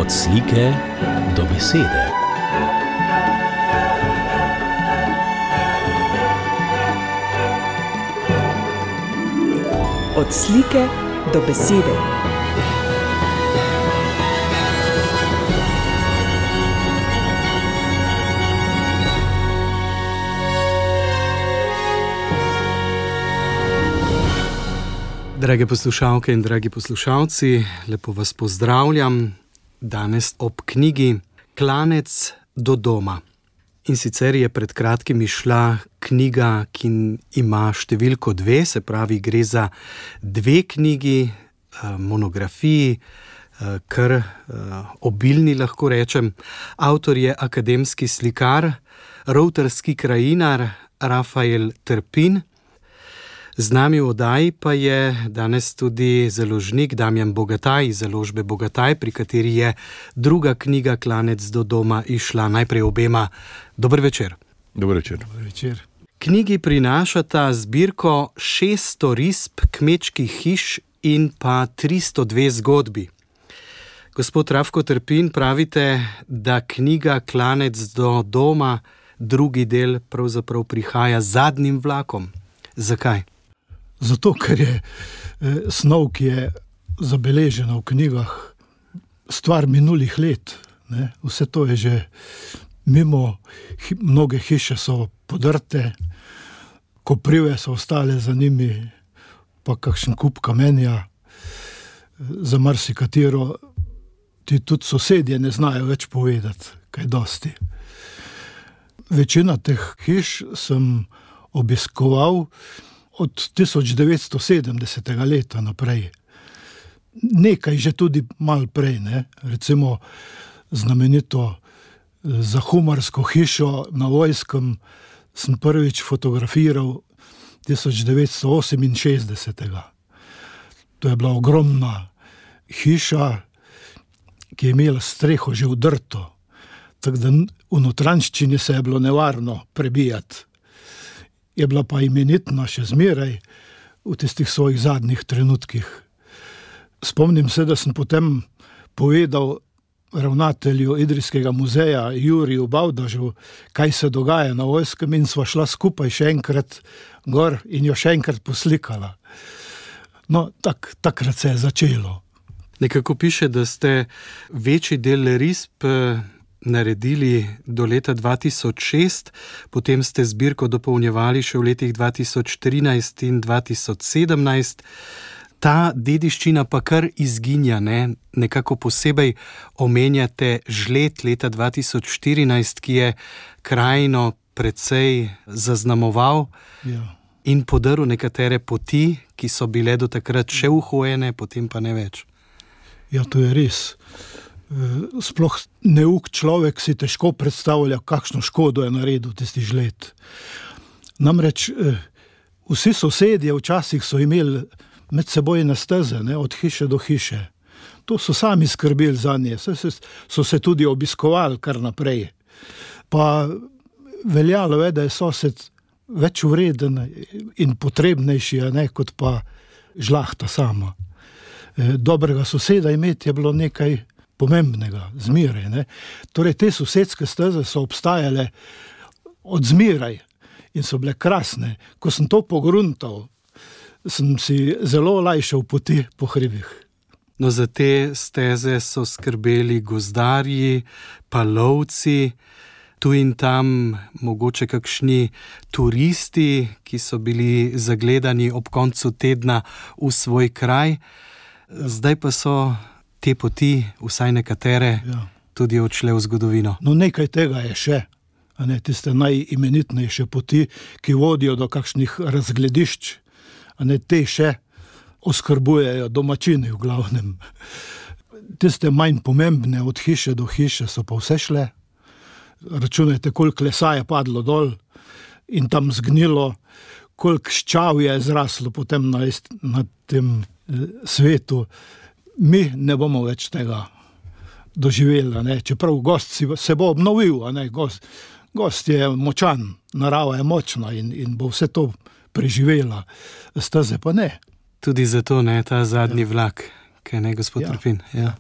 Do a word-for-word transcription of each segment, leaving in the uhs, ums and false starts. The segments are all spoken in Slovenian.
Od slike do besede. Od slike do besede. Drage poslušalke in dragi poslušalci, lepo vas pozdravljam danes ob knjigi Klanec do doma. In sicer je pred kratkim izšla knjiga, ki ima številko dve, se pravi, gre za dve knjigi, monografiji, kar obilni, lahko rečem. Avtor je akademski slikar, rovtarski krajinar Rafael Trpin. Z nami v oddaji pa je danes tudi založnik Damjan Bogataj iz založbe Bogataj, pri kateri je druga knjiga Klanec do doma izšla. Najprej obema dober večer. Dober večer. Dober večer. Knjigi prinašata zbirko šeststo risb kmečkih hiš in pa tristo dve zgodbi. Gospod Rafko Trpin, pravite, da knjiga Klanec do doma, drugi del, pravzaprav prihaja z zadnjim vlakom. Zakaj? Zato, ker je eh, snov, ki je zabeležena v knjigah, stvar minulih let. Ne? Vse to je že mimo, hi, mnoge hiše so podrte, koprive so ostale za njimi, pa kakšen kup kamenja, za marsikatero ti tudi sosedje ne znajo več povedati, kaj dosti. Večina teh hiš sem obiskoval od tisoč devetsto sedemdesetega leta naprej. Nekaj že tudi malo prej, ne? Recimo znamenito zahumarsko hišo na Vojskem sem prvič fotografiral tisoč devetsto oseminšestdesetega. To je bila ogromna hiša, ki je imela streho že vdrto, tako da v notranjščini se je bilo nevarno prebijati. Je bila pa imenitna še zmeraj v tistih svojih zadnjih trenutkih. Spomnim se, da sem potem povedal ravnatelju Idrijskega muzeja Juriju Bavdažu, kaj se dogaja na Vojskem, in sva šla skupaj še enkrat gor in jo še enkrat poslikala. No, tak, takrat se je začelo. Nekako piše, da ste večji del risb naredili do leta dva tisoč šest, potem ste zbirko dopolnjevali še v letih dva tisoč trinajst in dva tisoč sedemnajst. Ta dediščina pa kar izginja, ne? Nekako posebej omenjate žled leta dva tisoč štirinajst, ki je krajino precej zaznamoval Ja. in podrl nekatere poti, ki so bile do takrat še uhojene, potem pa ne več. Ja, to je res. Sploh neuk človek si težko predstavlja, kakšno škodo je naredil tisti žled. Namreč vsi sosedje včasih so imeli medsebojne steze, ne, od hiše do hiše. To so sami skrbeli zanje, so, so se tudi obiskovali kar naprej. Pa veljalo je, da je sosed več vreden in potrebnejši, ne, kot pa žlahta sama. Dobrega soseda imeti je bilo nekaj pomembnega, zmeraj, ne. Torej, te sosedske steze so obstajale od zmeraj in so bile krasne. Ko sem to pogruntal, sem si zelo olajšal poti po hribih. No, za te steze so skrbeli gozdarji, pa lovci, tu in tam mogoče kakšni turisti, ki so bili zagledani ob koncu tedna v svoj kraj. Zdaj pa so te poti, vsaj nekatere, Ja. tudi odšle v zgodovino. No, nekaj tega je še, a ne, tiste najimenitnejše poti, ki vodijo do kakšnih razgledišč, a ne, te še oskrbujejo domačini v glavnem. Tiste manj pomembne od hiše do hiše so pa vse šle. Računajte, koliko lesa je padlo dol in tam zgnilo, koliko ščav je zraslo potem na, na tem eh, svetu. Mi ne bomo več tega doživeli, ne? Čeprav gost si, se bo obnovil, a ne? Gost, gost je močan, narava je močna in, in bo vse to preživela. Steze pa ne. Tudi zato ne ta zadnji Ja. vlak, kaj ne, gospod Ja. Trpin? Ja.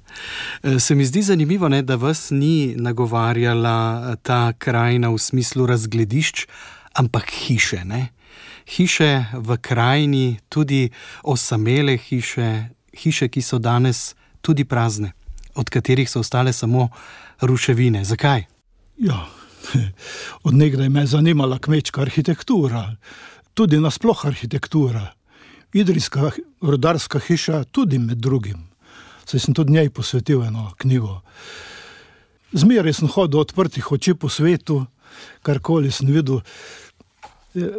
Se mi zdi zanimivo, ne, da vas ni nagovarjala ta krajina v smislu razgledišč, ampak hiše, ne? Hiše v krajini, tudi osamele hiše, hiše, ki so danes tudi prazne, od katerih so ostale samo ruševine. Zakaj? Ja, od nekdaj me je zanimala kmečka arhitektura, tudi nasploh arhitektura. Idrijska rudarska hiša tudi med drugim. Saj sem tudi njej posvetil eno knjigo. Zmeraj sem hodil odprtih oči po svetu, karkoli sem videl,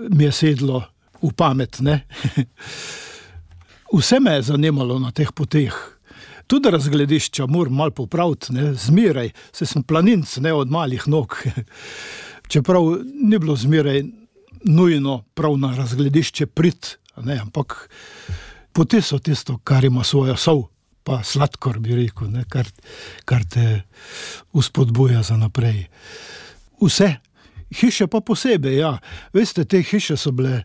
mi je sedlo v pamet, ne? Vse me je zanimalo na teh poteh. Tudi razgledišča moram malo popraviti, ne? Zmeraj, saj sem planinc, ne, od malih nog. Čeprav ni bilo zmeraj nujno prav na razgledišče prit, ne, ampak poti so tisto, kar ima svojo sol, pa sladkor bi rekel, ne, kar, kar te uspodbuja za naprej. Vse, hiše pa posebej, ja. Veste, te hiše so bile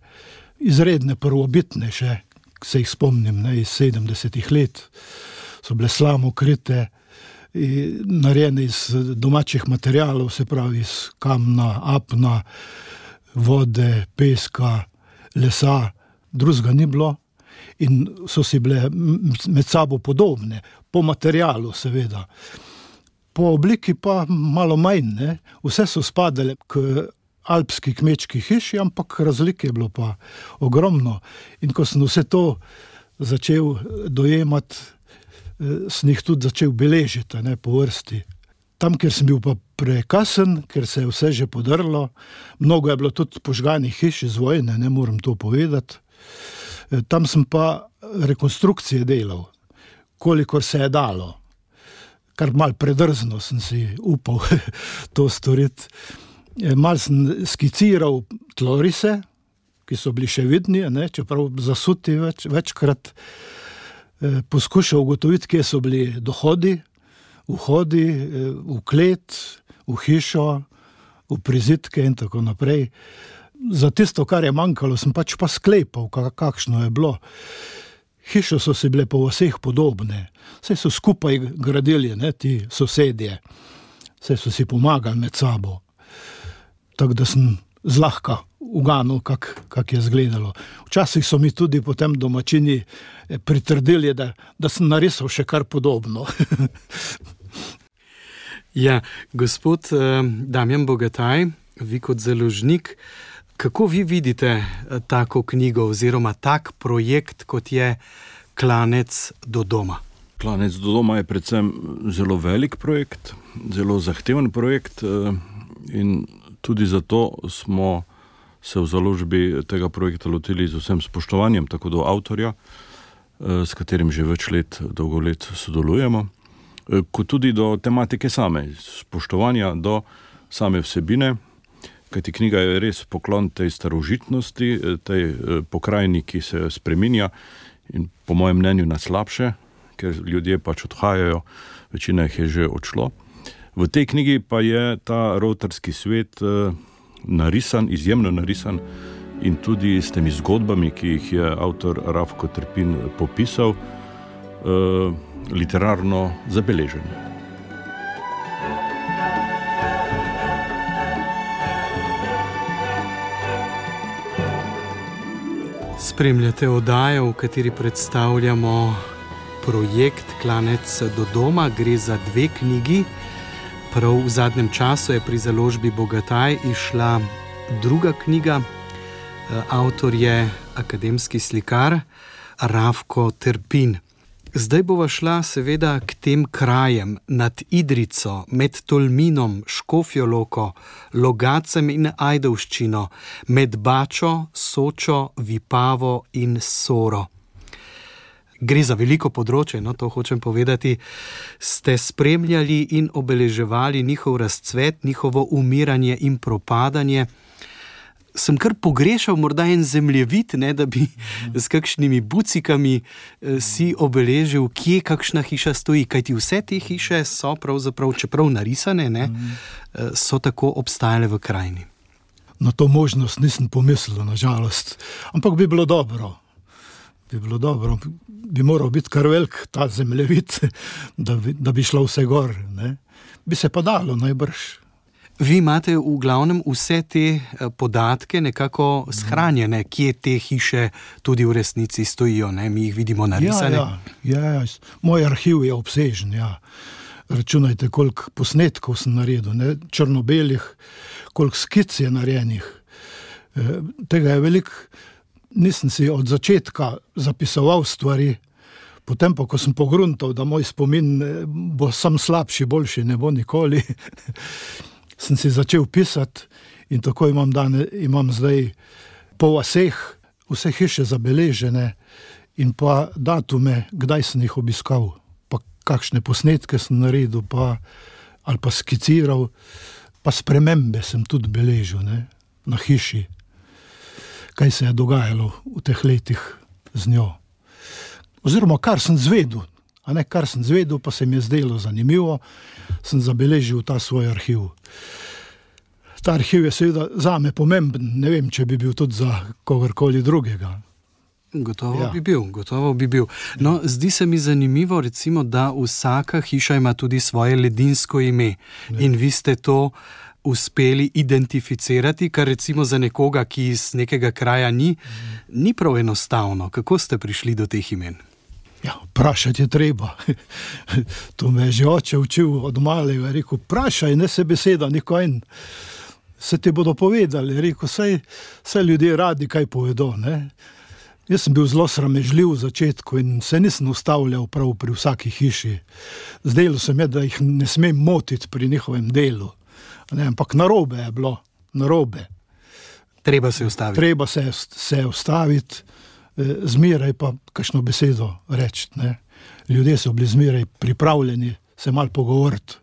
izredne prvobitne še, se jih spomnim, ne, iz sedemdesetih let. So bile slamokrite, narejene iz domačih materialov, se pravi iz kamna, apna, vode, peska, lesa, drugega ni bilo in so si bile med sabo podobne, po materialu seveda. Po obliki pa malo manj, ne? Vse so spadale k alpski kmečki hiši, ampak razlike je bilo pa ogromno. In ko sem vse to začel dojemati, sem jih tudi začel beležiti, ne, po vrsti. Tam, kjer sem bil pa prekasen, ker se je vse že podrlo, mnogo je bilo tudi požganih hiš iz vojne, ne moram to povedati. Tam sem pa rekonstrukcije delal, kolikor se je dalo. Kar malo predrzno sem si upal to storiti. Malo sem skiciral tlorise, ki so bili še vidni, ne, čeprav zasuti več, večkrat. Poskušal ugotoviti, kje so bili dohodi, vhodi, v klet, v hišo, v prizidke in tako naprej. Za tisto, kar je manjkalo, sem pač pa sklepal, kakšno je bilo. Hiše so si bile po vseh podobne. Saj so skupaj gradili, ne, ti sosedje. Saj so si pomagali med sabo. Tako da sem zlahka uganil, kak, kak je izgledalo. Včasih so mi tudi potem domačini pritrdili, da, da sem narisal še kar podobno. Ja, gospod eh, Damjan Bogataj, vi kot založnik, kako vi vidite tako knjigo oziroma tak projekt, kot je Klanec do doma? Klanec do doma je predvsem zelo velik projekt, zelo zahteven projekt in tudi zato smo se v založbi tega projekta lotili z vsem spoštovanjem, tako do avtorja, s katerim že več let, dolgo let sodelujemo, kot tudi do tematike same, spoštovanja do same vsebine, kajti knjiga je res poklon tej starožitnosti, tej pokrajini, ki se spreminja in po mojem mnenju na slabše, ker ljudje pač odhajajo, večina jih je že odšlo. V tej knjigi pa je ta rovtarski svet narisan, izjemno narisan in tudi s temi zgodbami, ki jih je avtor Rafko Trpin popisal, literarno zabeležen. Spremljate oddajo, v kateri predstavljamo projekt Klanec do doma. Gre za dve knjigi. Prav v zadnjem času je pri založbi Bogataj izšla druga knjiga. Avtor je akademski slikar Rafko Trpin. Zdaj bova šla seveda k tem krajem nad Idrico, med Tolminom, Škofjo Loko, Logacem in Ajdovščino, med Bačo, Sočo, Vipavo in Soro. Gre za veliko področje, no, to hočem povedati. Ste spremljali in obeleževali njihov razcvet, njihovo umiranje in propadanje. Sem kar pogrešal morda en zemljevid, ne, da bi s kakšnimi bucikami eh, si obeležil, kje kakšna hiša stoji. Kajti vse te hiše so pravzaprav, čeprav narisane, ne, eh, so tako obstajale v krajini. Na to možnost nisem pomislil, na žalost. Ampak bi bilo dobro. bi bilo dobro. Bi moral biti kar velik ta zemljevid, da bi, da bi šlo vse gor. Ne? Bi se pa dalo najbrž. Vi imate v glavnem vse te podatke nekako shranjene, kje te hiše tudi v resnici stojijo, ne? Mi jih vidimo narisane. Ja, ja, ja, ja. Moj arhiv je obsežen, ja. Računajte, koliko posnetkov sem naredil, ne? Črno-belih, koliko skic je narejenih. E, tega je veliko, nisem si od začetka zapisoval stvari, potem pa, ko sem pogruntal, da moj spomin bo sam slabši, boljši, ne bo nikoli, sem si začel pisati in tako imam, dane, imam zdaj po vaseh vse hiše zabeležene in pa datume, kdaj sem jih obiskal, pa kakšne posnetke sem naredil, pa, ali pa skiciral, pa spremembe sem tudi beležil, ne, na hiši, kaj se je dogajalo v teh letih z njo. Oziroma, kar sem zvedel, a ne, kar sem zvedel, pa se mi je zdelo zanimivo, sem zabeležil ta svoj arhiv. Ta arhiv je seveda zame pomemben, ne vem, če bi bil tudi za kogarkoli drugega. Gotovo Ja. bi bil, gotovo bi bil. No, zdi se mi zanimivo, recimo, da vsaka hiša ima tudi svoje ledinsko ime in vi ste to uspeli identificirati, kar recimo za nekoga, ki iz nekega kraja ni, ni prav enostavno. Kako ste prišli do teh imen? Ja, vprašati je treba. To me je že oče učil od malega, rekel, vprašaj, ne se beseda, nikoj, se ti bodo povedali, rekel, saj, saj ljudje radi kaj povedo, ne. Jaz sem bil zelo sramežljiv v začetku in se nisem ustavljal prav pri vsaki hiši. Zdelo se mi, da jih ne smem motiti pri njihovem delu. Ne, ampak narobe je bilo, narobe. Treba se ustaviti. Treba se, se ustaviti, zmeraj pa kakšno besedo reči. Ne. Ljudje so bili zmeraj pripravljeni se malo pogovoriti.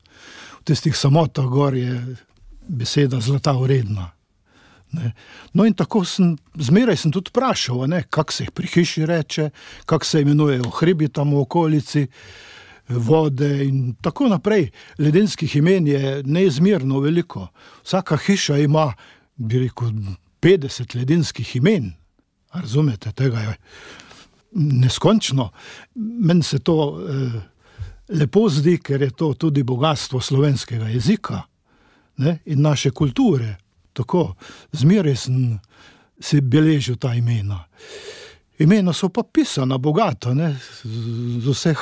V tistih samotah gor je beseda zlata vredna. Ne. No in tako sem, zmeraj sem tudi vprašal, ne, kak se jih pri hiši reče, kak se imenujejo hribi tam v okolici, vode in tako naprej. Ledenskih imen je neizmerno veliko. Vsaka hiša ima, bi rekel, petdeset ledenskih imen. A razumete, tega je neskončno. Meni se to eh, lepo zdi, ker je to tudi bogatstvo slovenskega jezika, ne, in naše kulture. Tako, zmeraj sem si beležil ta imena. Imena so pa pisana bogato, ne, z vseh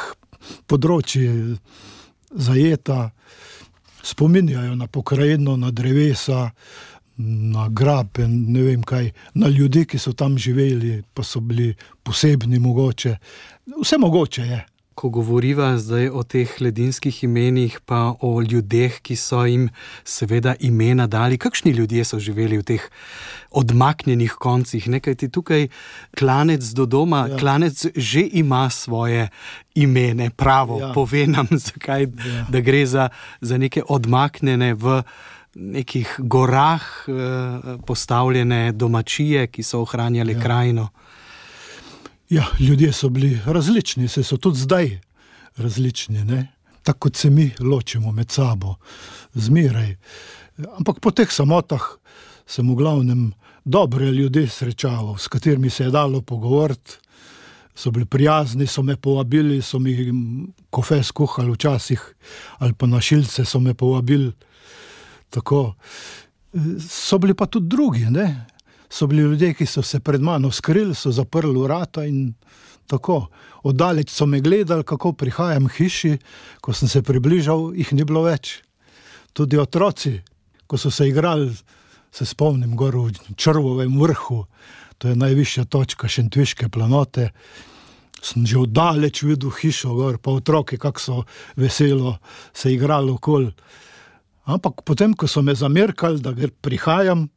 področji zajeta, spominjajo na pokrajino, na drevesa, na grape, ne vem kaj, na ljudi, ki so tam živeli, pa so bili posebni mogoče. Vse mogoče je. Ko govoriva zdaj o teh ledinskih imenih, pa o ljudeh, ki so jim seveda imena dali, kakšni ljudje so živeli v teh odmaknjenih koncih, nekaj ti tukaj klanec do doma, ja. Klanec že ima svoje imene, pravo, ja. Pove nam, zakaj, ja. Da gre za, za neke odmaknjene v nekih gorah eh, postavljene domačije, ki so ohranjali ja. Krajino. Ja, ljudje so bili različni, se so tudi zdaj različni, ne? Tako kot se mi ločimo med sabo, zmeraj. Ampak po teh samotah sem v glavnem dobre ljudi srečaval, s katerimi se je dalo pogovoriti, so bili prijazni, so me povabili, so mi kofe skuhali včasih, ali pa na šilce so me povabili, tako. So bili pa tudi drugi, ne? So bili ljudje, ki so se pred mano skrili, so zaprli vrata in tako. Oddaleč so me gledali, kako prihajam k hiši, ko sem se približal, jih ni bilo več. Tudi otroci, ko so se igrali, se spomnim gor v Črvovem vrhu, to je najvišja točka Šentviške planote, sem že oddaleč videl hišo gor, pa otroke, kako so veselo se igrali okoli. Ampak potem, ko so me zamerkali, da prihajam,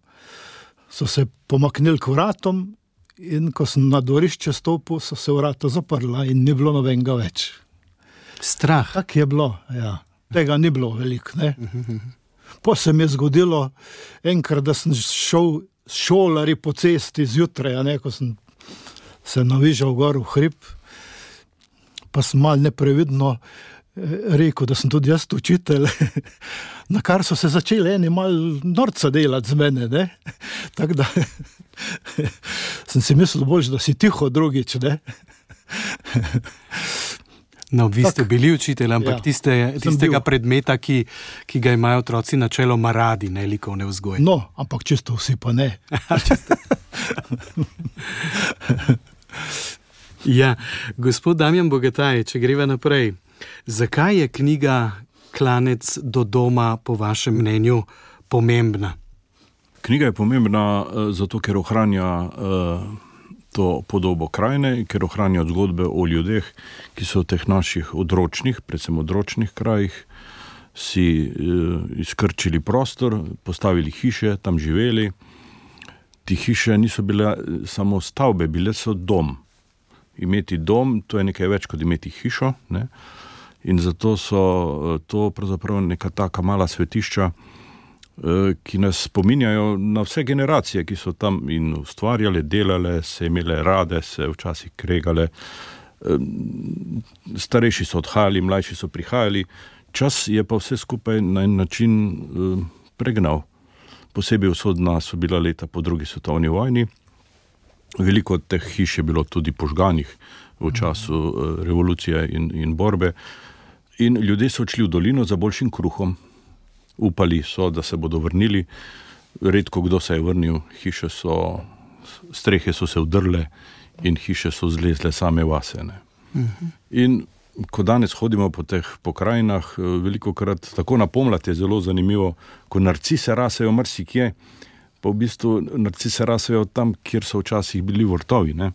so se pomaknili k vratom in ko sem na dvorišče stopil, so se vrata zaprla in ni bilo nobenega več. Strah. Tak je bilo, ja. Tega ni bilo veliko, ne. Po se mi je zgodilo enkrat, da sem šel šolari po cesti zjutraj, a ne, ko sem se navižal gor v hrib, pa sem malo neprevidno rekel, da sem tudi jaz učitelj, na kar so se začeli eni malo norca delati z mene, ne. Tako da sem sem si mislil bolj, da si tiho drugič, ne? No, vi ste bili učitelj, ampak Ja, tiste, sem tistega bil. predmeta, ki, ki ga imajo otroci načeloma radi, ne likovne vzgoje. No, ampak čisto vsi pa ne. Ja, gospod Damjan Bogataj, če greva naprej. Zakaj je knjiga Klanec do doma po vašem mnenju pomembna? Knjiga je pomembna eh, zato, ker ohranja eh, to podobo krajine, ker ohranja zgodbe o ljudeh, ki so v teh naših odročnih, predvsem odročnih krajih, si eh, izkrčili prostor, postavili hiše, tam živeli. Ti hiše niso bile samo stavbe, bile so dom. Imeti dom, to je nekaj več kot imeti hišo, ne? In zato so eh, to pravzaprav neka taka mala svetišča, eh, ki nas spominjajo na vse generacije, ki so tam in ustvarjale, delale, se imele rade, se včasih kregale. Eh, Starejši so odhajali, mlajši so prihajali. Čas je pa vse skupaj na en način eh, pregnal. Posebej usodna so bila leta po drugi svetovni vojni. Veliko od teh hiš je bilo tudi požganih v času eh, revolucije in, in borbe. In ljudje so odšli v dolino za boljšim kruhom. Upali so, da se bodo vrnili. Redko kdo se je vrnil. Hiše so, strehe so se udrle in hiše so zlezle same vase. Ne. In ko danes hodimo po teh pokrajinah, veliko krat, tako na pomlad je zelo zanimivo, ko narcise rasejo marsikje, pa v bistvu narcise rasejo tam, kjer so včasih bili vrtovi, ne?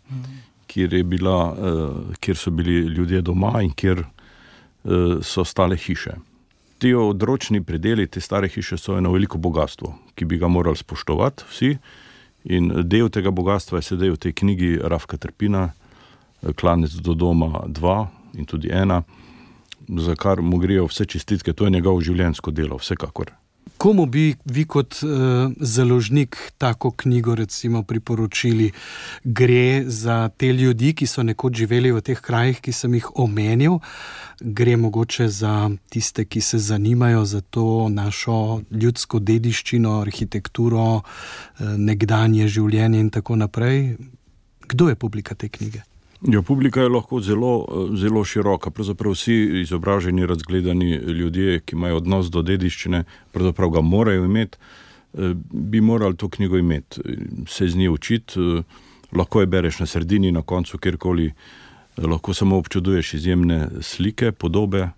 Kjer, je bila, uh, kjer so bili ljudje doma in kjer uh, so stale hiše. Ti odročni predeli, te stare hiše so eno veliko bogatstvo, ki bi ga morali spoštovati vsi, in del tega bogatstva je sedaj v tej knjigi Rafka Trpina, Klanec do doma dva in tudi ena, za kar mu grejo vse čestitke, to je njegov življenjsko delo, vsekakor. Komu bi vi kot uh, založnik tako knjigo recimo priporočili? Gre za te ljudi, ki so nekoč živeli v teh krajih, ki sem jih omenil? Gre mogoče za tiste, ki se zanimajo za to našo ljudsko dediščino, arhitekturo, uh, nekdanje življenje in tako naprej? Kdo je publika te knjige? Ja, publika je lahko zelo, zelo široka. Pravzaprav vsi izobraženi, razgledani ljudje, ki imajo odnos do dediščine, pravzaprav ga morajo imeti, bi morali to knjigo imeti. Se z nje učiti, lahko je bereš na sredini, na koncu, kjerkoli, lahko samo občuduješ izjemne slike, podobe,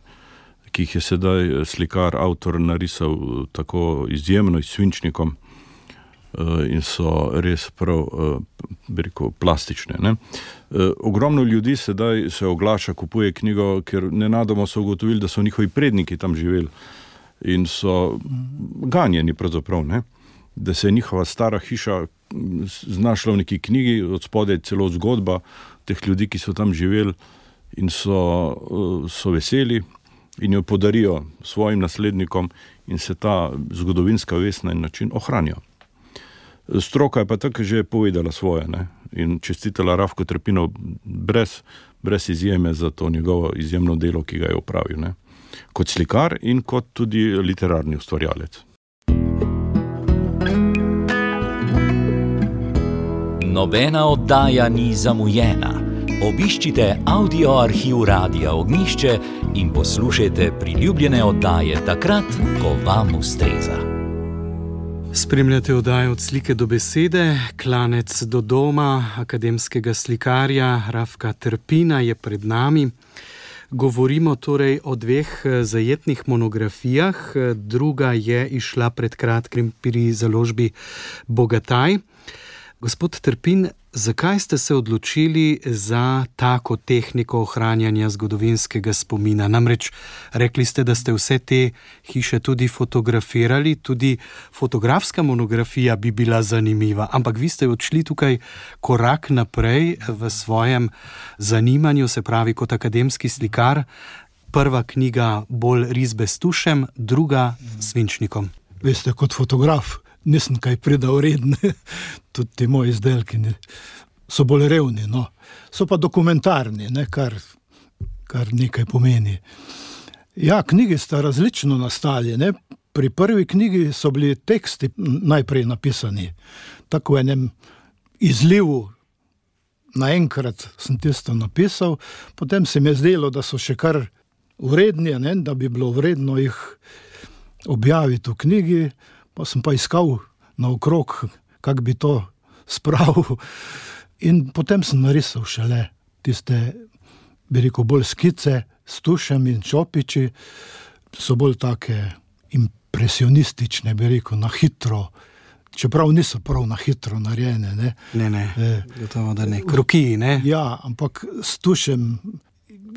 ki jih je sedaj slikar, avtor narisal tako izjemno, s svinčnikom, in so res prav, bi rekel, plastične. Ne? Ogromno ljudi sedaj se oglaša, kupuje knjigo, ker nenadoma so ugotovili, da so njihovi predniki tam živeli in so ganjeni pravzaprav, ne? Da se je njihova stara hiša znašla v neki knjigi, od spodaj celo zgodba teh ljudi, ki so tam živeli in so, so veseli in jo podarijo svojim naslednikom in se ta zgodovinska vest na en način ohranja. Stroka je pa tako že povedala svoje, ne? In čestitala Rafko Trpinu brez, brez izjeme za to njegovo izjemno delo, ki ga je opravil, ne? Kot slikar in kot tudi literarni ustvarjalec. Nobena oddaja ni zamujena. Obiščite audio arhiv Radia Ognjišče in poslušajte priljubljene oddaje takrat, ko vam ustreza. Spremljate oddajo Od slike do besede, Klanec do doma, akademskega slikarja Rafka Trpina je pred nami. Govorimo torej o dveh zajetnih monografijah, druga je izšla pred kratkim pri založbi Bogataj. Gospod Trpin, zakaj ste se odločili za tako tehniko ohranjanja zgodovinskega spomina? Namreč rekli ste, da ste vse te hiše tudi fotografirali, tudi fotografska monografija bi bila zanimiva, ampak vi ste odšli tukaj korak naprej v svojem zanimanju, se pravi kot akademski slikar. Prva knjiga bolj risbe s tušem, druga s svinčnikom. Veste, kot fotograf nisem kaj predal redne, tudi ti moji izdelki so bolj revni, no. So pa dokumentarni, ne, kar, kar nekaj pomeni. Ja, knjigi sta različno nastali, ne. Pri prvi knjigi so bili teksti najprej napisani, tako v enem izlivu naenkrat sem tisto napisal, potem se mi je zdelo, da so še kar vredni, ne, da bi bilo vredno jih objaviti v knjigi, pa sem pa iskal naokrog, kak bi to spravil. In potem sem narisal šele tiste, bi rekel, bolj skice s tušem in čopiči, so bolj take impresionistične, bi rekel, na hitro, čeprav niso prav na hitro narejene. Ne, ne, ne e, gotovo, da ne. Krokiji, ne? Ja, ampak s tušem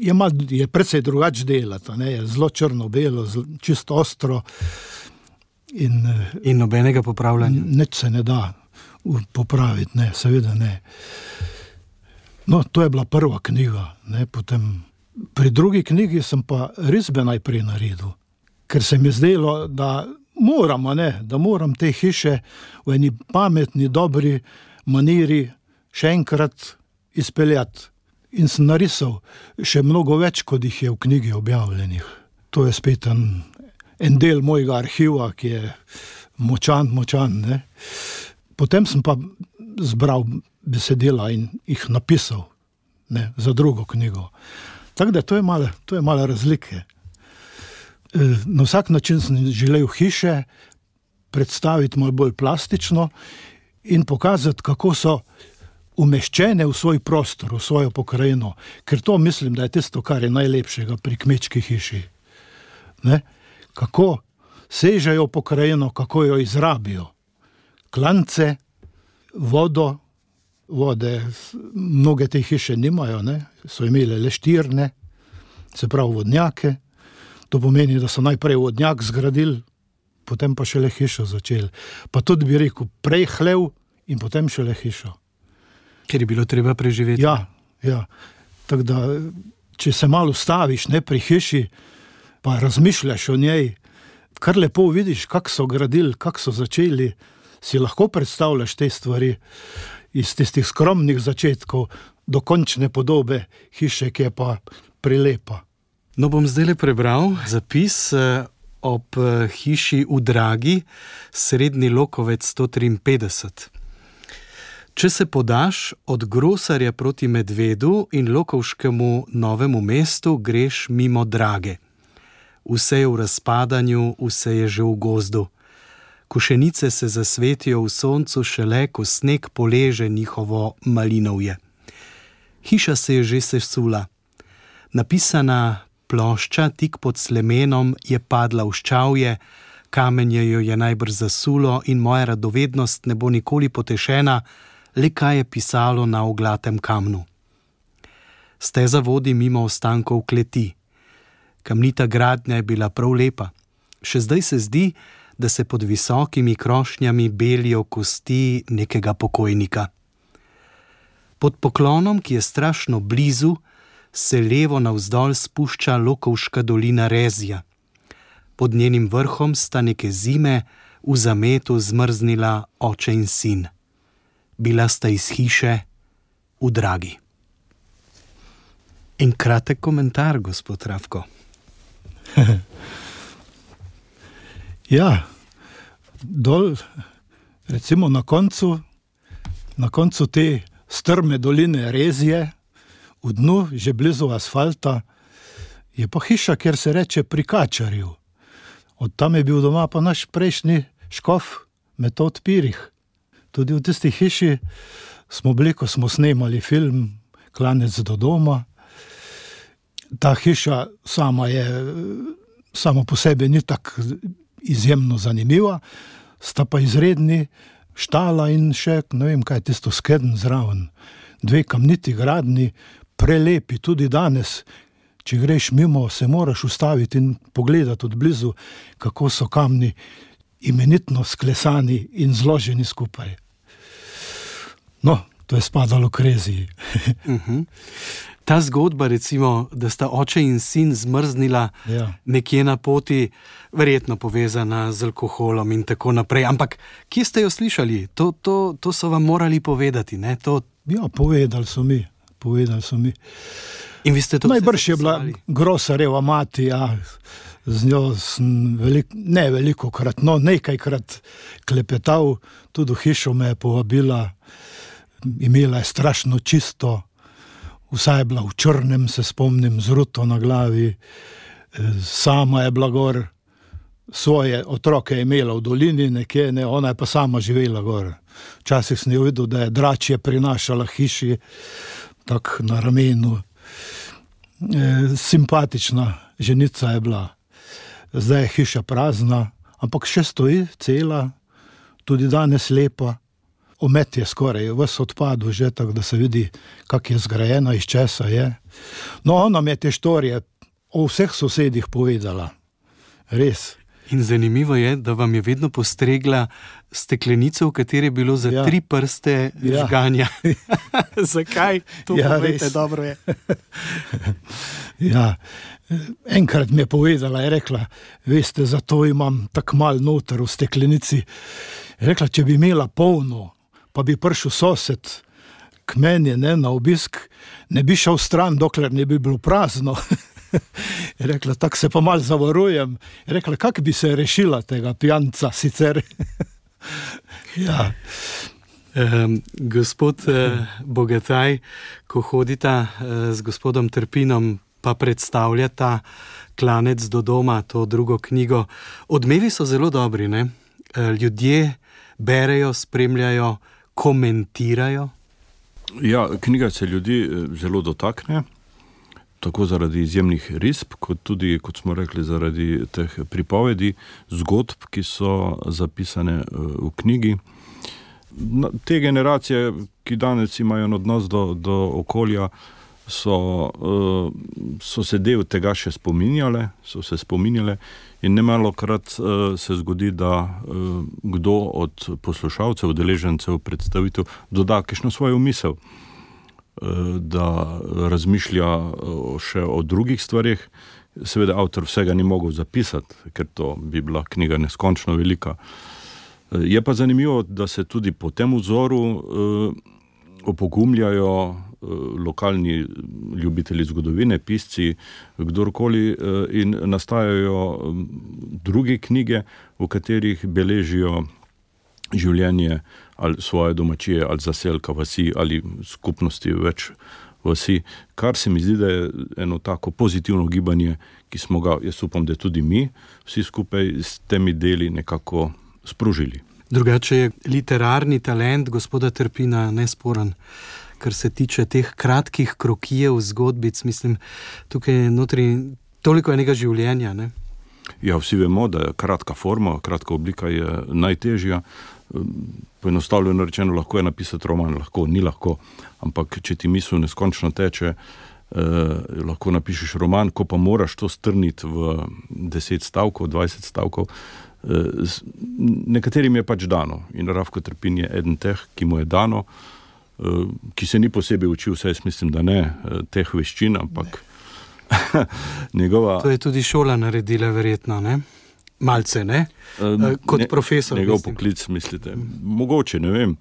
je, mal, je precej drugač delati, ne, je zelo črno-belo, čisto ostro. In, in nobenega popravljanja? Nič se ne da popraviti, ne, seveda ne. No, to je bila prva knjiga, ne, potem pri drugi knjigi sem pa risbe najprej naredil, ker se mi zdelo, da moram, ne, da moram te hiše v eni pametni, dobri maniri še enkrat izpeljati. In sem narisal še mnogo več, kot jih je v knjigi objavljenih. To je spet en, en del mojega arhiva, ki je močan, močan, ne. Potem sem pa zbral besedila in jih napisal, ne, za drugo knjigo. Tako da to je malo, to je malo razlike. Na vsak način sem želel hiše predstaviti malo bolj plastično in pokazati, kako so umeščene v svoj prostor, v svojo pokrajino, ker to mislim, da je tisto, kar je najlepšega pri kmečki hiši. Ne? Kako sežejo pokrajino, kako jo izrabijo. Klance, vodo, vode, mnoge te hiše nimajo, ne? So imele le štirne, se pravi vodnjake. To pomeni, da so najprej vodnjak zgradili, potem pa šele hišo začeli. Pa tudi bi rekel, prej hlev in potem šele hišo. Ker je bilo treba preživeti. Ja, ja. Tako da, če se malo staviš, ne, pri hiši, pa razmišljaš o njej, kar lepo vidiš, kak so gradili, kak so začeli, si lahko predstavljaš te stvari iz tistih skromnih začetkov do končne podobe hiše, ki je pa prilepa. No, bom zdaj le prebral zapis ob hiši v Dragi, Srednji Lokovec sto triinpetdeset. Če se podaš od Grosarja proti Medvedu in Lokovškemu Novemu mestu, greš mimo Drage. Vse je v razpadanju, vse je že v gozdu. Košenice se zasvetijo v soncu šele, ko sneg poleže njihovo malinovje. Hiša se je že sesula. Napisana plošča tik pod slemenom je padla v ščavje, kamenje jo je najbrž zasulo in moja radovednost ne bo nikoli potešena, le kaj je pisalo na oglatem kamnu. Steza vodi mimo ostankov kleti. Kamnita gradnja je bila prav lepa. Še zdaj se zdi, da se pod visokimi krošnjami belijo kosti nekega pokojnika. Pod poklonom, ki je strašno blizu, se levo navzdol spušča Lokovška dolina Rezja. Pod njenim vrhom sta neke zime v zametu zmrznila oče in sin. Bila sta iz hiše v Dragi. In kratek komentar, gospod Ravko. Ja, dol, recimo na koncu, na koncu te strme doline Rezje, v dnu, že blizu asfalta, je pa hiša, kjer se reče Pri Kačarju. Od tam je bil doma pa naš prejšnji škof Metod Pirih. Tudi v tisti hiši smo bili, ko smo snemali film Klanec do doma. Ta hiša sama je, sama po sebi ni tako izjemno zanimiva, sta pa izredni štala in še, ne vem kaj, tisto skedn zraven. Dve kamniti gradni, prelepi tudi danes. Če greš mimo, se moraš ustaviti in pogledati od blizu, kako so kamni imenitno sklesani in zloženi skupaj. No, to je spadalo k Reziji. uh-huh. Ta zgodba, recimo, da sta oče in sin zmrznila ja. nekje na poti, verjetno povezana z alkoholom in tako naprej. Ampak kje ste jo slišali? To, to, to so vam morali povedati, ne? To... Ja, povedali so mi. Povedali so mi. In vi ste to najbrž je bila Grosarjeva mati, ja. Z njo sem velik, ne veliko krat, no nekajkrat klepetal, tudi v hišo me je povabila. imela je strašno čisto, vsa je bila v črnem, se spomnim, z ruto na glavi, sama je bila gor, svoje otroke je imela v dolini nekje, ne, ona je pa sama živela gor. Včasih sem jo videl, da je dračje prinašala hiši, tak na ramenu. E, simpatična ženica je bila. Zdaj je hiša prazna, ampak še stoji cela, tudi danes lepa. Omet je skoraj ves odpadel že, tako da se vidi, kak je zgrajena, iz česa je. No, ona mi je te štorije o vseh sosedih povedala. Res. In zanimivo je, da vam je vedno postregla steklenico, v kateri je bilo za ja. tri prste ja. žganja. Zakaj? To ja, povejte, dobro je. Ja, enkrat mi je povedala, je rekla, veste, zato imam tak mal noter v steklenici. Je rekla, če bi imela polno, pa bi prišel sosed k meni, ne, na obisk, ne bi šel stran, dokler ne bi bilo prazno. Je rekla, tako se pa mal zavarujem. Je rekla, kak bi se rešila tega pijanca sicer? Ja. Um, gospod uh, Bogataj, ko hodita uh, z gospodom Trpinom, pa predstavljata Klanec do doma, to drugo knjigo. Odmevi so zelo dobri, ne? Uh, ljudje berejo, spremljajo, komentirajo. Ja, knjiga se ljudi zelo dotakne, tako zaradi izjemnih risb, kot tudi, kot smo rekli, zaradi teh pripovedi, zgodb, ki so zapisane v knjigi. Te generacije, ki danes imajo odnos do, do okolja, so, so se del tega še spominjale, so se spominjale in nemalokrat se zgodi, da kdo od poslušalcev, udeležencev, predstavitev doda kakšno svojo misel, da razmišlja še o drugih stvarih. Seveda avtor vsega ni mogel zapisati, ker to bi bila knjiga neskončno velika. Je pa zanimivo, da se tudi po tem vzoru opogumljajo lokalni ljubitelji zgodovine, pisci, kdorkoli, in nastajajo druge knjige, v katerih beležijo življenje ali svoje domačije, ali zaselka vasi, ali skupnosti več vasi, kar se mi zdi, da je eno tako pozitivno gibanje, ki smo ga, jaz upam, da tudi mi vsi skupaj s temi deli nekako sprožili. Drugače je literarni talent gospoda Trpina nesporen, kar se tiče teh kratkih krokijev zgodbic, mislim, tukaj notri toliko enega življenja, ne? Ja, vsi vemo, da je kratka forma, kratka oblika je najtežja. Poenostavljeno rečeno, lahko je napisati roman, lahko, ni lahko, ampak če ti misel neskončno teče, eh, lahko napišeš roman, ko pa moraš to strniti v deset stavkov, dvajset stavkov, eh, nekaterim je pač dano in Rafko Trpin je eden teh, ki mu je dano, eh, ki se ni posebej učil, vse jaz mislim, da ne, eh, teh veščin, ampak njegova... To je tudi šola naredila verjetno, ne? Malce, ne? Kot ne, profesor. Njegov mislim. poklic, mislite? Mogoče, ne vem,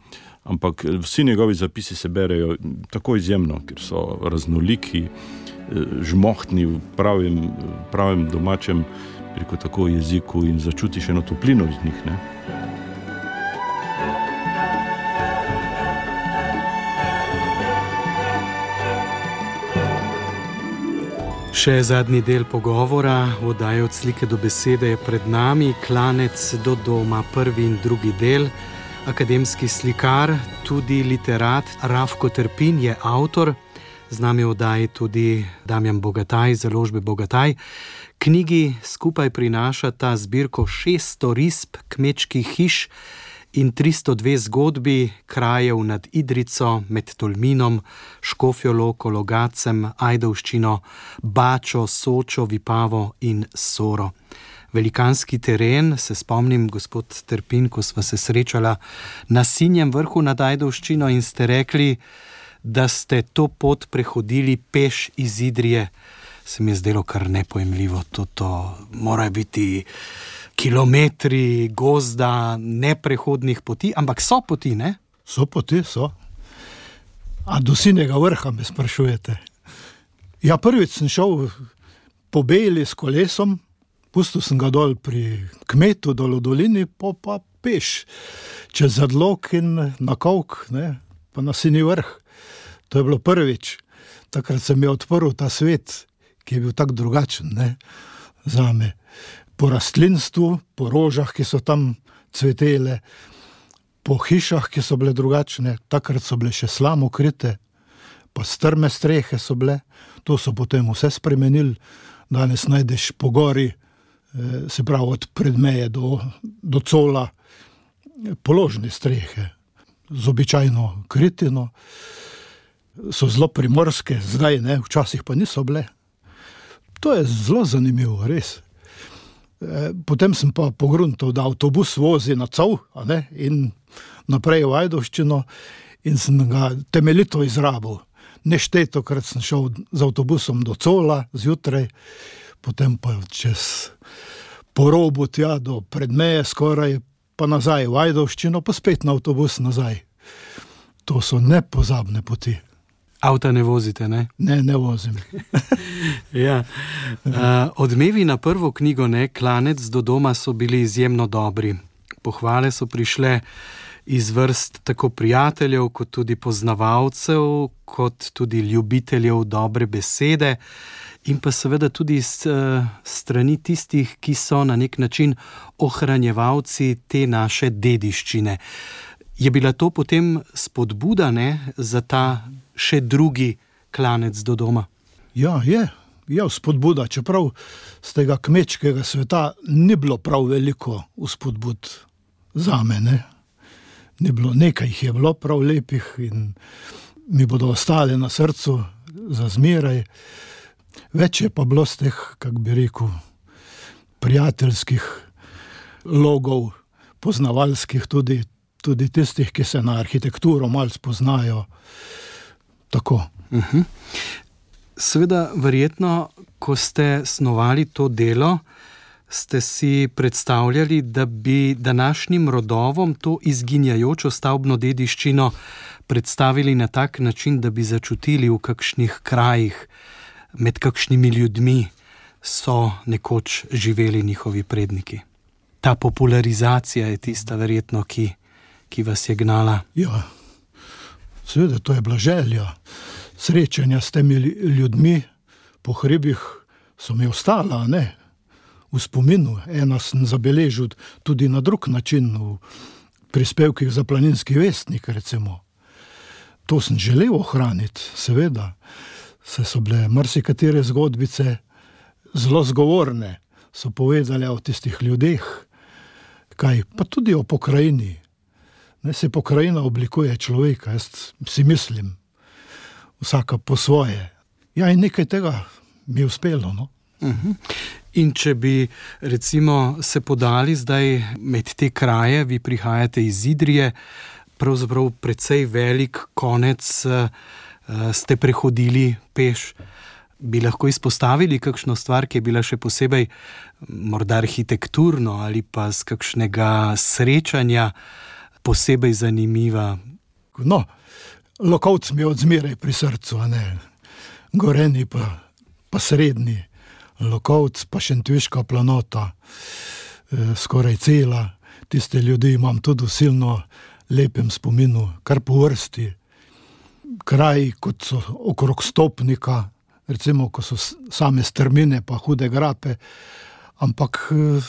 ampak vsi njegovi zapisi se berejo tako izjemno, ker so raznoliki, žmohtni v pravim, pravim domačem, preko tako jeziku in začutiš eno toplino iz njih, ne? Še zadnji del pogovora, oddaje Od slike do besede je pred nami, Klanec do doma, prvi in drugi del. Akademski slikar, tudi literat Rafko Trpin je avtor, z nami v oddaji tudi Damjan Bogataj, založbe Bogataj. Knjigi skupaj prinašata zbirko šeststo risb kmečkih hiš in tristo dve zgodbi krajev nad Idrico, med Tolminom, Škofjo Loko, Logacem, Ajdovščino, Bačo, Sočo, Vipavo in Soro. Velikanski teren, se spomnim, gospod Trpin, ko sva se srečala na Sinjem vrhu nad Ajdovščino in ste rekli, da ste to pot prehodili peš iz Idrije. Se mi je zdelo kar nepojemljivo, to, to mora biti kilometri gozda, neprehodnih poti, ampak so poti, ne? So poti, so. A do Sinjega vrha me sprašujete? Ja, prvič sem šel po Bejli s kolesom, pustil sem ga dol pri kmetu, dol v dolini, po pa peš, čez Zadlok in na Kovk, ne? pa na Sinji vrh. To je bilo prvič. Takrat se mi je odprl ta svet, ki je bil tak drugačen, ne, zame. Po rastlinstvu, po rožah, ki so tam cvetele, po hišah, ki so bile drugačne, takrat so bile še slamokrite, pa strme strehe so bile, to so potem vse spremenili. Danes najdeš po gori, se pravi od Predmeje do, do Cola, položne strehe, z običajno kritino, so zelo primorske, zdaj ne, včasih pa niso bile. To je zelo zanimivo, res. Potem sem pa pogruntal, da avtobus vozi na Col, a ne, in naprej v Ajdovščino in sem ga temeljito izrabil. Neštetokrat sem šel z avtobusom do Cola zjutraj, potem pa čez po robu tja do Predmeje skoraj, pa nazaj v Ajdovščino, pa spet na avtobus nazaj. To so nepozabne poti. Avta ne vozite, ne? Ne, ne vozim. Ja. Uh, odmevi na prvo knjigo, ne, Klanec do doma, so bili izjemno dobri. Pohvale so prišle iz vrst tako prijateljev, kot tudi poznavalcev, kot tudi ljubiteljev dobre besede in pa seveda tudi s uh, strani tistih, ki so na nek način ohranjevalci te naše dediščine. Je bila to potem spodbuda, ne, za ta še drugi Klanec do doma? Ja, je. Je spodbuda, čeprav z tega kmečkega sveta ni bilo prav veliko vzpodbud zame, ne. Ni bilo, nekaj jih je bilo prav lepih in mi bodo ostale na srcu za zmeraj. Več je pa bilo z teh, kak bi rekel, prijateljskih logov, poznavalskih tudi, tudi tistih, ki se na arhitekturo malo spoznajo. Tako. Uh-huh. Seveda, verjetno, ko ste snovali to delo, ste si predstavljali, da bi današnjim rodovom to izginjajočo stavbno dediščino predstavili na tak način, da bi začutili, v kakšnih krajih, med kakšnimi ljudmi so nekoč živeli njihovi predniki. Ta popularizacija je tista verjetno, ki, ki vas je gnala. Ja, seveda, to je bila želja. Srečanja s temi ljudmi po hribih so mi ostala, ne? V spominu. Ena sem zabeležil tudi na drug način, v prispevkih za Planinski vestnik, recimo. To sem želel ohraniti, seveda. Se so bile marsikatere zgodbice zelo zgovorne, so povedali o tistih ljudeh, kaj, pa tudi o pokrajini. Ne, se pokrajina oblikuje človeka, jaz si mislim, vsaka po svoje. Ja, in nekaj tega mi je uspelo, no. Uh-huh. In če bi recimo se podali zdaj med te kraje, vi prihajate iz Idrije, pravzaprav precej velik konec uh, ste prehodili peš. Bi lahko izpostavili kakšno stvar, ki je bila še posebej morda arhitekturno ali pa z kakšnega srečanja posebej zanimiva? No, Lokovc mi je odzmeraj pri srcu, a ne. Goreni pa, pa srednji. Lokovc pa Šentviška planota, e, skoraj cela. Tiste ljudi imam tudi v silno lepem spominu, kar po vrsti. Kraji, kot so okrog Stopnika, recimo, ko so same strmine pa hude grape, ampak e,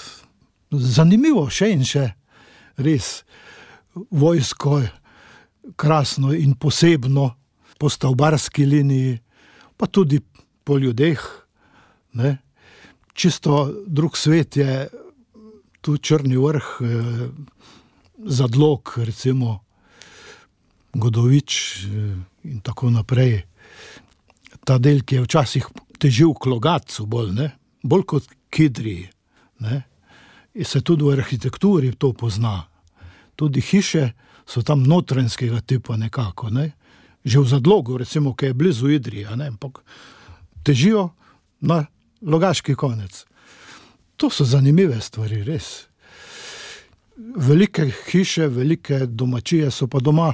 zanimivo še in še, res. Vojsko krasno in posebno po stavbarski liniji, pa tudi po ljudeh, ne. Čisto drug svet je tu Črni vrh, eh, Zadlog, recimo Godovič eh, in tako naprej. Ta del, ki je včasih težil k Logatcu bolj, ne, bolj kot k Idriji, ne. In se tudi v arhitekturi to pozna. Tudi hiše so tam notranjskega tipa nekako, ne. Že v Zadlogu, recimo, ki je blizu Idrije, ne, ampak težijo na Logaški konec. To so zanimive stvari, res. Velike hiše, velike domačije so pa doma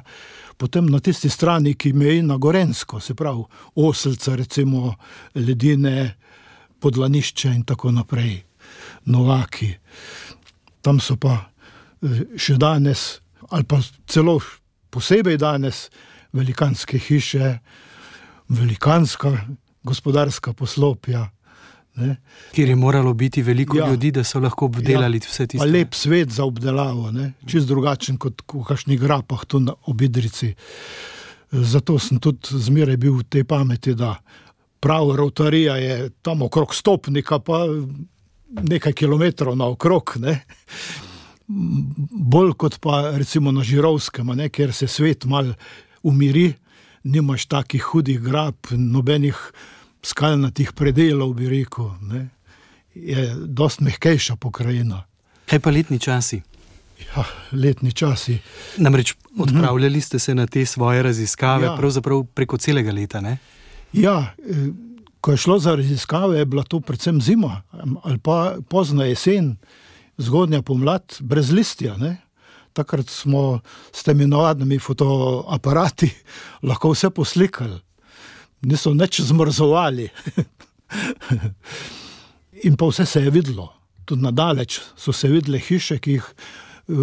potem na tisti strani, ki meji na Gorenjsko, se pravi Oselca, recimo Ledine, Podlanišče in tako naprej, Novaki. Tam so pa še danes, ali pa celo posebej danes, velikanske hiše, velikanska gospodarska poslopja. Ne. Kjer je moralo biti veliko Ja. ljudi, da so lahko obdelali Ja, vse Pa tiste. lep svet za obdelavo, ne? Čist drugačen kot v kakšnih grapah tu na Obidrici. Zato sem tudi zmeraj bil v tej pameti, da prav rotarija je tam okrog Stopnika, pa nekaj kilometrov naokrog, ne? Bolj kot pa recimo na Žirovskem, a ne? Kjer se svet mal umiri, nimaš takih hudih grab, nobenih skalnatih predelov, bi rekel, ne? Je dost mehkejša pokrajina. Kaj pa letni časi? Ja, letni časi. Namreč odpravljali ste se na te svoje raziskave Ja. pravzaprav preko celega leta, ne? Ja, eh, ko je šlo za raziskave, je bila to predvsem zima ali pa pozna jesen, zgodnja pomlad, brez listja, ne? Takrat smo s temi navadnimi fotoaparati lahko vse poslikali. Niso nič zmrzovali. In pa vse se je videlo. Tudi nadaleč so se videle hiše, ki jih eh,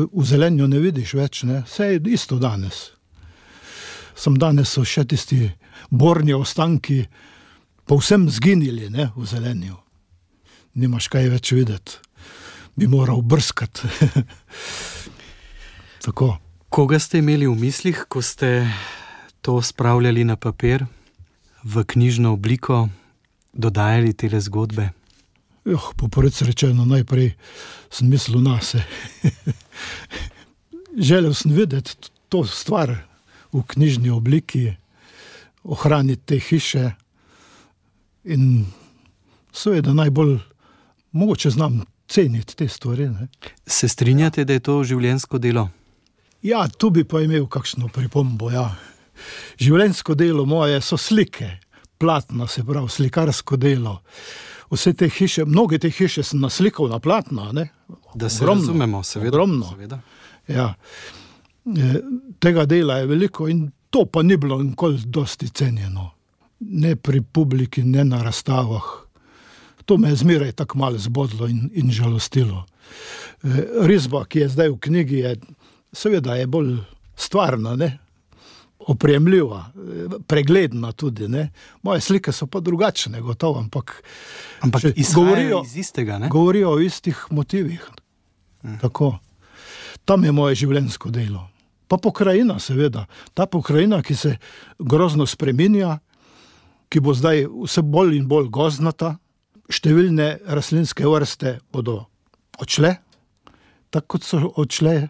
v zelenju ne vidiš več, ne? Vse je isto danes. Sam danes so še tisti borni ostanki povsem zginili, ne, v zelenju. Nimaš kaj več videti. Bi moral brskati. Tako. Koga ste imeli v mislih, ko ste to spravljali na papir, v knjižno obliko, dodajali tele zgodbe? Joh, po prvič rečeno, najprej sem mislil nase. Želel sem videti to stvar v knjižni obliki, ohraniti te hiše in seveda najbolj mogoče znam ceniti te stvari, ne. Se strinjate, da je to življenjsko delo? Ja, tu bi pa imel kakšno pripombo, ja. Življenjsko delo moje so slike, platna, se pravi, slikarsko delo. Vse te hiše, mnoge te hiše sem naslikal na platna, ne. Da se Ogromno, razumemo, seveda. ogromno. seveda. Ja. E, Tega dela je veliko in to pa ni bilo nikoli dosti cenjeno. Ne pri publiki, ne na razstavah. To me je zmeraj tako malo zbodlo in, in žalostilo. E, Risba, ki je zdaj v knjigi, je seveda je bolj stvarna, ne? Opremljiva, e, pregledna tudi, ne? Moje slike so pa drugačne, gotovo, ampak, Ampak Še izhajajo govorijo- iz istega, ne? govorijo o istih motivih. Tako. Tam je moje življenjsko delo. Pa pokrajina, seveda. Ta pokrajina, ki se grozno spreminja, ki bo zdaj vse bolj in bolj gozdnata, številne rastlinske vrste bodo odšle, tako kot so odšle eh,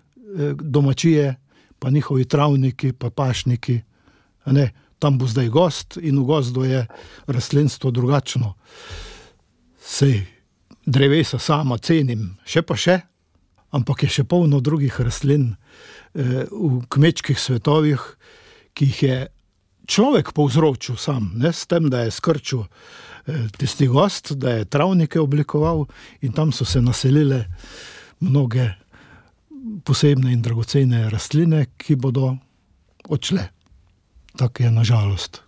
domačije, pa njihovi travniki, pa pašniki. A ne, tam bo zdaj gozd in v gozdu je rastlinstvo drugačno. Sej drevesa sama cenim, še pa še, ampak je še polno drugih rastlin eh, v kmečkih svetovih, ki jih je človek povzročil sam, ne, s tem, da je skrčil eh, tisti gozd, da je travnike oblikoval in tam so se naselile mnoge posebne in dragocene rastline, ki bodo odšle. Tak je nažalost.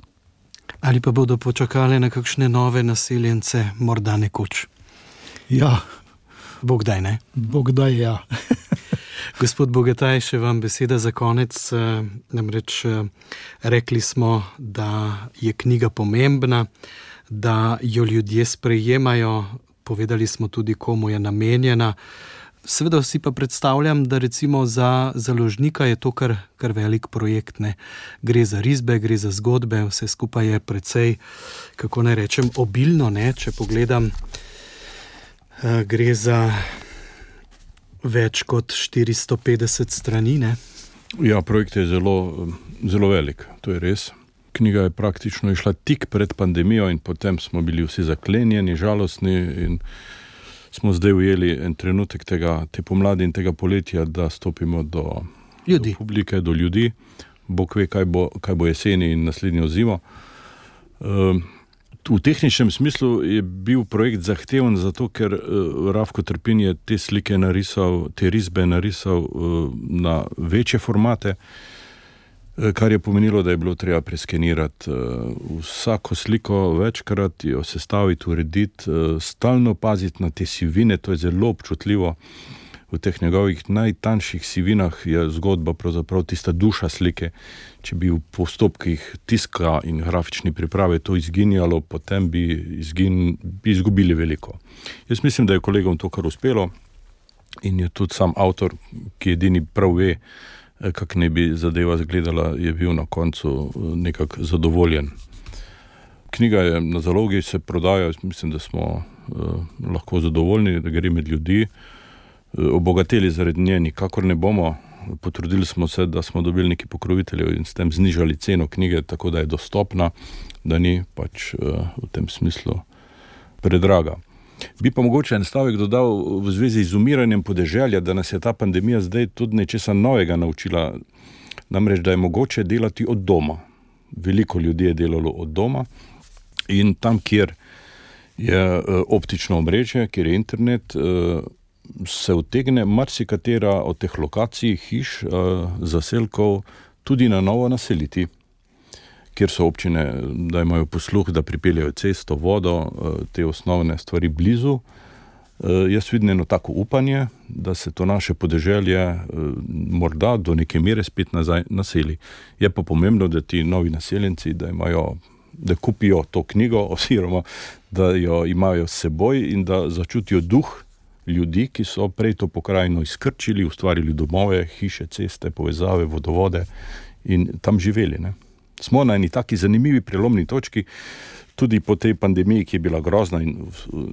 Ali pa bodo počakale na kakšne nove naseljence, morda nekoč? Ja, Bog daj, ne? Bog daj, ja. Gospod Bogataj, še vam beseda za konec. eh, Namreč eh, rekli smo, da je knjiga pomembna, da jo ljudje sprejemajo, povedali smo tudi, komu je namenjena. Seveda si pa predstavljam, da recimo za založnika je to kar, kar velik projekt, ne. Gre za risbe, gre za zgodbe, vse skupaj je precej, kako naj rečem, obilno, ne. Če pogledam, eh, gre za več kot štiristo petdeset strani, ne. Ja, projekt je zelo, zelo velik, to je res. Knjiga je praktično išla tik pred pandemijo in potem smo bili vsi zaklenjeni, žalostni in smo zdaj ujeli en trenutek tega, te pomladi in tega poletja, da stopimo do, Ljudi. do publike, do ljudi. Bog ve, kaj bo, kaj bo jeseni in naslednjo zimo. Um, v tehničnem smislu je bil projekt zahteven zato, ker uh, Rafko Trpin je te slike narisal, te risbe narisal uh, na večje formate, kar je pomenilo, da je bilo treba preskenirati vsako sliko večkrat, jo sestaviti, urediti, stalno paziti na te sivine, to je zelo občutljivo. v teh njegovih najtanjših sivinah je zgodba pravzaprav tista duša slike. Če bi v postopkih tiska in grafični priprave to izginjalo, potem bi, izgin, bi izgubili veliko. Jaz mislim, da je kolegom to kar uspelo in je tudi sam avtor, ki edini prav ve, kak ne bi zadeva zgledala, je bil na koncu nekako zadovoljen. Knjiga je na zalogi, se prodaja, mislim, da smo uh, lahko zadovoljni, da gre med ljudi. Uh, obogateli zaradi nje nikakor ne bomo. Potrudili smo se, da smo dobili neki pokroviteljev in s tem znižali ceno knjige, tako da je dostopna, da ni pač uh, v tem smislu predraga. Bi pa mogoče en stavek dodal v zvezi z umiranjem podeželja, da nas je ta pandemija zdaj tudi nečesa novega naučila, namreč, da je mogoče delati od doma. Veliko ljudi je delalo od doma in tam, kjer je optično omrežje, kjer je internet, se utegne marsikatera od teh lokacij, hiš, zaselkov tudi na novo naseliti, kjer so občine, da imajo posluh, da pripeljajo cesto, vodo, te osnovne stvari blizu. Jaz vidim eno tako upanje, da se to naše podeželje morda do neke mere spet nazaj naseli. Je pa pomembno, da ti novi naseljenci, da imajo, da kupijo to knjigo oziroma da jo imajo s seboj in da začutijo duh ljudi, ki so prej to pokrajino izkrčili, ustvarili domove, hiše, ceste, povezave, vodovode in tam živeli, ne. Smo na eni taki zanimivi prelomni točki, tudi po tej pandemiji, ki je bila grozna in,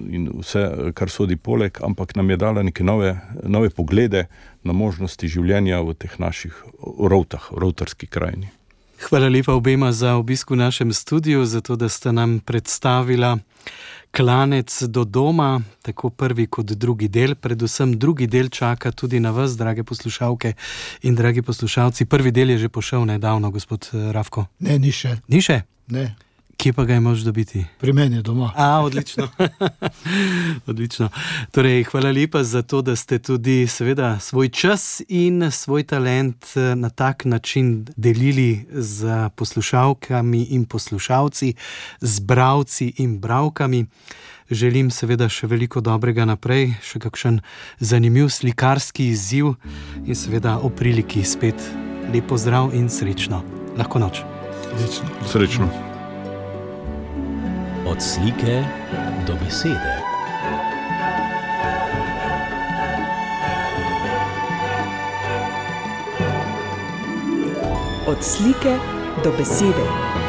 in vse, kar sodi poleg, ampak nam je dala neke nove, nove poglede na možnosti življenja v teh naših rovtah, rovtarski krajini. Hvala lepa obema za obisk v našem studiu, zato da sta nam predstavila Klanec do doma, tako prvi kot drugi del. Predvsem drugi del čaka tudi na vas, drage poslušalke in dragi poslušalci. Prvi del je že pošel nedavno, gospod Rafko. Ne, ni še. Ni še? Ne. Kje pa ga je moč dobiti? Pri meni doma. A, odlično. Odlično. Torej, hvala lepa za to, da ste tudi seveda svoj čas in svoj talent na tak način delili z poslušalkami in poslušalci, z bralci in bralkami. Želim seveda še veliko dobrega naprej, še kakšen zanimiv slikarski izziv in seveda o priliki spet lep pozdrav in srečno. Lahko noč. Srečno. Srečno. Od slike do besede. Od slike do besede.